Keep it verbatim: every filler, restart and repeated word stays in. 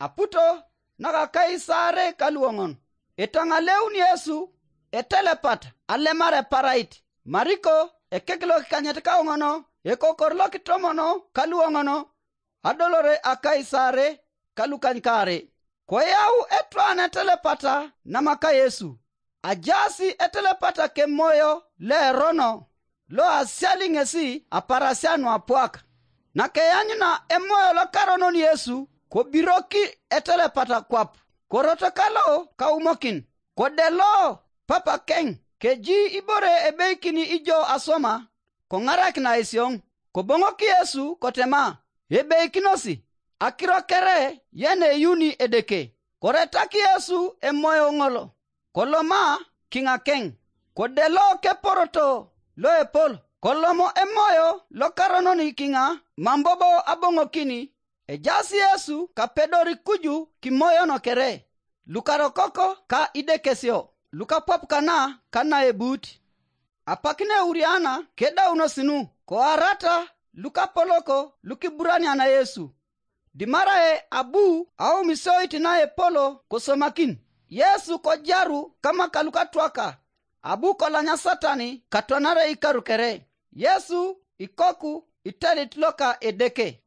Aputo naka akais aarei ka luoŋon. Etaŋaleun Yesu etelepata alemar eparait. Mariko ekek lokikanyet kauŋono, ekokor lokitomon ka luoŋono, adolore akais aarei ka lukanykaarei. Koyau etwan etelepata namaka Yesu. Ajaas etelepata kemoyo loerono loasiali ŋesi aparasia nuapuak. Nakeanyuna emoyo lokaronon Yesu, kobiroki etelepata kwap, koroto kalo kaumokin, kodelo papakeŋ, keji ibore ebeikini ijo aswama, koŋarakina esioŋ. Koboŋok Yesu kotema, ebeikinosi. Akiro kere yeneyuni Edeke. Koretak Yesu emoyo ŋolo, koloma kiŋakeŋ, kodelo keporoto loepol, kolomo emoyo lokaronon kiŋa mam bobo aboŋokini. Ejaas Yesu kapedori kuju kimoyono kere, lukarokoko ka idekesio, lukapuap kana ka naebuut. Apak neuriana kedaunos nu, koarata lukapoloko lukiburaniana Yesu. Dimarae abu aumisoit naepolo kosomakin. Yesu kojaru kamaka lukatwaka, abu kolanya Satani katwanare ikaru kere. Yesu ikoku itelit loka Edeke.